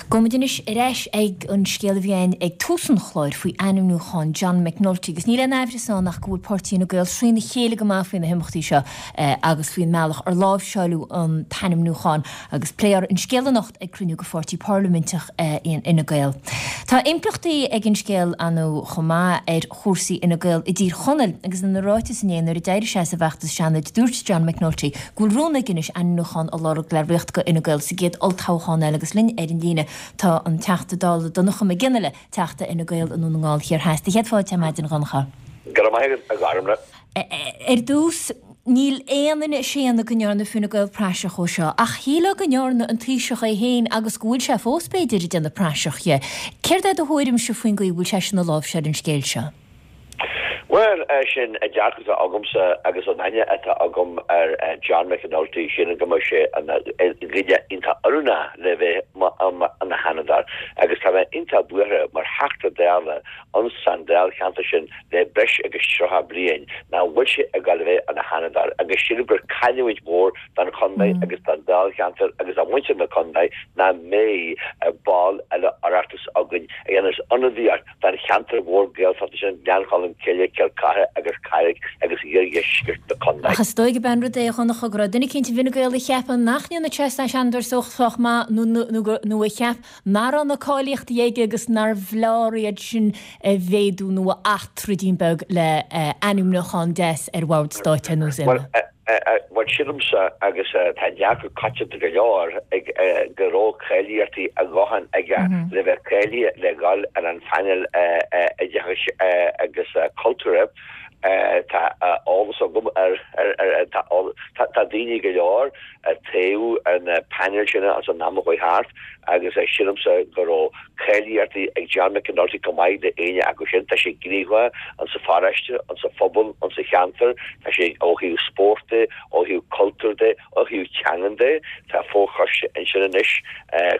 Gabhfaimid anois ar ais ag an scéal a bhí againn ag tús an chláir faoi ainmniúchán John McNulty agus níl aon aimhreas ann ach go bhfuil páirtí Fhine Gael trína chéile go maith faoi na himeachtaí seo agus faoin mbealach ar láimhseáileadh an t-ainmniúchán agus pléifear an scéal anocht ag cruinniú de pháirtí parlaiminteach Fhine Gael. Tá impleachtaí ag an scéal ar ndóigh chomh maith ar chúrsaí Fhine Gael i dTír Chonaill agus ina ráiteas inné nuair a d'éirigh sé as an bhfeachtas Seanaid dúirt John McNulty go bhfuil rún aige anois ainmniúchán a lorg le ritheacht do Fhine Gael sa gcéad olltoghchán eile agus linn ar an líne tá an Teachta Dála Donncha Mac Fhionnghaile, Teachta Fhine Gael i nDún na nGall Thiar Theas. Céad fáilte ar maidin, a Dhonncha. Go raibh maith agat, a Ghormlaith. Ar dtús, níl aon duine ag séanadh go ndearna Fine Gael praiseach dhó seo, ach shílfeá go ndearna an Taoiseach é féin agus go bhfuil sé fós, b'fhéidir, ag déanamh praiseach dhe. Céard é do thuairimse faoin gcaoi a bhfuil seisean ag láimhseáil an scéil seo? Bhuel, sin an dearcadh atá agamsa agus an aithne atá agam ar John McAnulty, sílim go mbeadh sé ina dhuine iontach oiriúnach le bheith ina Sheanadóir agus tá mé iontach buartha mar Theachta Dála ins an dáilcheantar sin le breis agus 30 bliain nach bhfuil sé ag gabháil a bheith ina Sheanadóir agus sílim gur cailliúint mhór don chontae agus don dáilcheantar agus do mhuintir na contae nach mbeidh ball eile Oireachtais againn a dhéanfas ionadaíocht don cheantar mhór Gaeltachta sin, Gleann Cholm Cille, Cill Chartha agus Carraig agus iardheisceart na contae. Ach is dóigh gurb é an rud é, a Dhonncha, go raibh duine eicínt i bhFine Gael a cheap nach ndéanfadh sé Seanadóir sách maith nó a cheap nach raibh na cáilíochtaí aige agus nárbh fhearr iad sin a mhéadú nó a athtroid beag le ainmniúchán deas ar bhord stáit ar nós Emma. Bhuel, sílimse, agus tá dearcadh coitianta go leor ag, go raibh cáilíochtaí a dhóthain aige le bheith cáilithe le dhul ar an phainéal oideachais agus cultúrtha. Tá eolas agam ar, tá daoine go leor a toghadh ar na painéil sin ins an am a chuaigh thart agus sílimse go raibh cáilíochtaí ag John McAnulty chomh maith le éinne acu sin. Tá sé gníomhach insa pharóiste, insa phobal, insa cheantar. Tá sé ó thaobh spóirt de, ó thaobh cultúir de, ó thaobh teangan de. Tá fochoiste ansin anois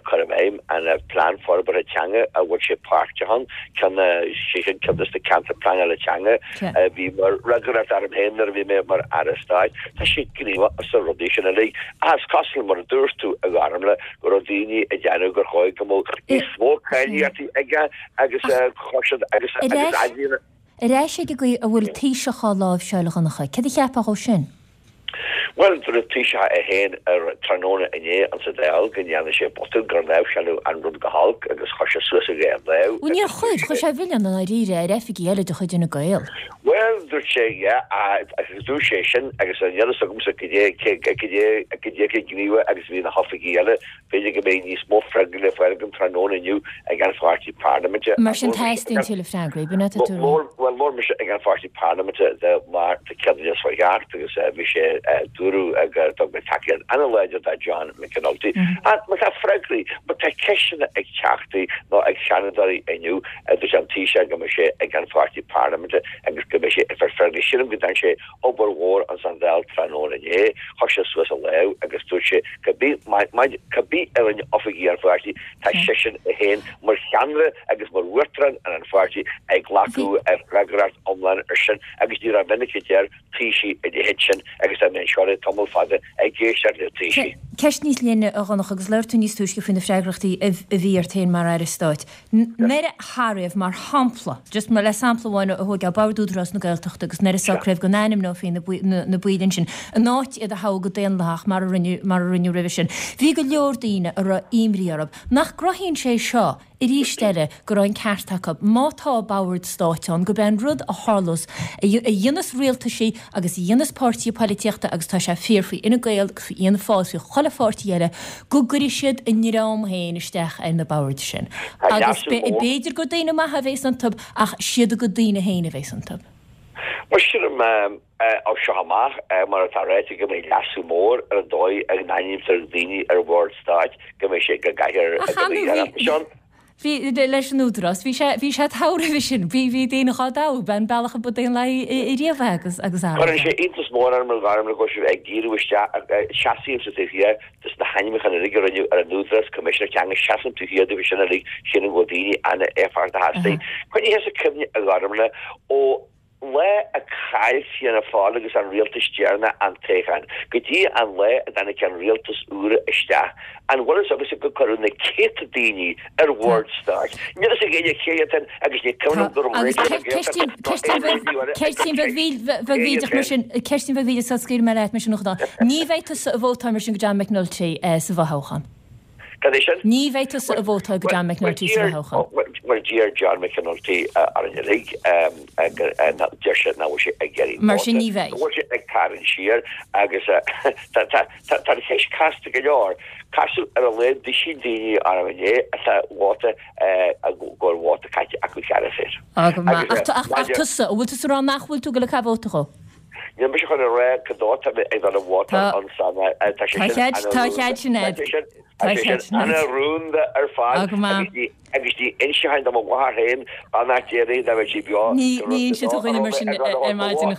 cur i bhfeidhm an plean forbartha teanga a bhfuil sé páirteach ann, ceann, sé sin ceann de na ceantair pleanála teanga a bhí mar fhreagracht orm féin nuair a bhí mé mar Aire Stáit. Tá sé gníomhach sna rudaí sin uilig. Ach is cosúil, mar a dúirt tú, a Ghormlaith, go raibh daoine ag déanamh gur chóir go mbeadh níos mó cáilíochtaí aige agus chuir siad agus agus Ar ar ais ag an gcaoi a bhfuil an Taoiseach á láimhseáil a Dhonncha, céard a cheapfá dhó sin? Bhuel, dúirt an Taoiseach é féin ar tráthnóna inné insa Dáil go ndearna sé botún, gur láimhseáladh an rud go holc agus chuir sé suas a dhá lámh Bhuel, níor chuir, chuir sé an milleán i ndáiríre ar oifigigh eile de chuid Fhine Gael. Bhuel, dúirt sé, yeah, agus dúirt sé sin agus níl a fhios agamsa cad é, cad é, cad é chomh gníomhach agus a bhí na hoifigigh eile, b'fhéidir go mbeidh níos mó freagraí le fáil agam tráthnóna inniu ag an pháirtí parlaiminte. Mar sin teastaíonn tuilleadh freagraí, b'in é atá tú a rá. Bhuel, labhair mise ag an pháirtí parlaiminte de Máirt Céadaoin seo chuaigh thart agus bhí sé, dúradh gur thug mé tacaíocht an-láidir do John McAnulty. Ach má tá freagraí, má tá ceisteanna ag teachtaí nó ag seanadóirí inniu, Dúirt an Taoiseach go mbeidh sé ag an pháirtí parlaiminte agus go mbeidh sé ag fáil freagraí. Sílim go ndearna sé obair mhór ins an Dáil tráthnóna inné. Chuir sé suas a lámh agus dúirt sé cibé cibé a rinne oifigigh an pháirtí, tá seisean é féin mar cheannaire agus mar uachtarán ar an pháirtí ag glacadh freagracht iomlán ar sin agus ní rómhinic a deir Taoisigh a leithéid sin agus tá mé anseo le tamall fada ag éisteacht le Taoisigh. Ceist níos leithne, a Dhonncha, agus labhair tú níos túisce faoi na freagrachtaí a bhí ort féin mar Aire Stáit. Nuair a socraíodh, mar shampla, just mar le sampla amháin a thógáil, Bord Údarás na Gaeltachta agus nuair a socraíodh go n-ainmneofaí na baill ansin, in áit iad a thoghadh go daonlathach mar a rinneadh mar a rinneadh roimhe sin, bhí go leor daoine a raibh imní orthu. Nach gcruthaíonn sé seo arís eile go raibh an ceart acu, má tá bord stáit ann, gurb é an rud a tharlós, a dhéanas rialtaisí agus a dhéanas páirtithe poilitíochta agus tá sé fíor faoi Fhine Gael agus faoi Fhianna Fáil agus faoi chuile pháirtí eile, go gcuirfidh siad a ndream féin isteach ar na boird sin. Agus b'fhéidir gur daoine maithe a bhéas iontu ach siad a gcuid daoine féin a bhéas iontu. Mar sílim, As seo amach, mar atá ráite, go mbeidh leasú mór ar an dóigh a n-ainmnítear daoine ar bhoird stáit, go mbeidh sé go gcaithfear go mbeidh ar an ann. Bhí, leis an Údarás, bhí sé, bhí sé togha roimhe sin, bhí, bhí daoine dhá dtoghadh, b'é an bealach a ba daonlathaí riamh é agus, agus araile. Cuireann sé iontas mór orm a Ghormlaith go bhfuil sibh ag díriú isteach, seasaímse taobh thiar des na hainmniúcháin uilig a rinneadh ar an Údarás, Coimisinéir Teanga, seasaim taobh thiar díobh sin uilig, sílim go bhfuil daoine an-éifeachtach astu. Coinnithe sa cuimhne a Ghormlaith ó. lá a chaill Fianna Fáil agus an rialtas deireanach an toghchán go dtí an lá a dtáinig an rialtas úr isteach, an bhfuil fhios agatsa gur cuireadh na céadta daoine ar bhoird stáit? Níl fhios ag éinne cé hiad sin agus ní cuimhin liom go raibh Raidió na Gaeltachta ná aon raidió eile ag Ceistín bheag bhídeach mar sin, ceistín bheag bhídeach sula scaoilfidh mé leat mar sin a Dhonncha. Ní bheidh tusa ag vótáil mar sin do John McNulty sa bhfothoghchán. Cad é sin? Ní bheidh tusa ag vótáil do John McNulty sa bhfothoghchán. Bhuel, d'iarr John McNulty orainn uilig, deir sé nach bhfuil sé ag iarraidh Mar sin ní bheidh. Go bhfuil sé ag tarraingt siar agus tá an cheist casta go leor. Casadh ar a laghad duisín daoine orm inné atá vóta, go bhfuil vóta caite acu cheana féin. Á, go maith. Ach tusa, an bhfuil tusa ag rá nach bhfuil tú ag dul ag caitheamh vóta dhó? Níl mise chun a rá cad dó tá mé ag dul a vótáil ansan. Tá sé sin Tá a chead sin agat. Tá sé sin ana-rúnda ar fad agus ní inseochainn do mo mháthair féin beannacht Dé léi dá mbeadh sí beo Ní inseoidh tú do dhuine mar sin ar maidin.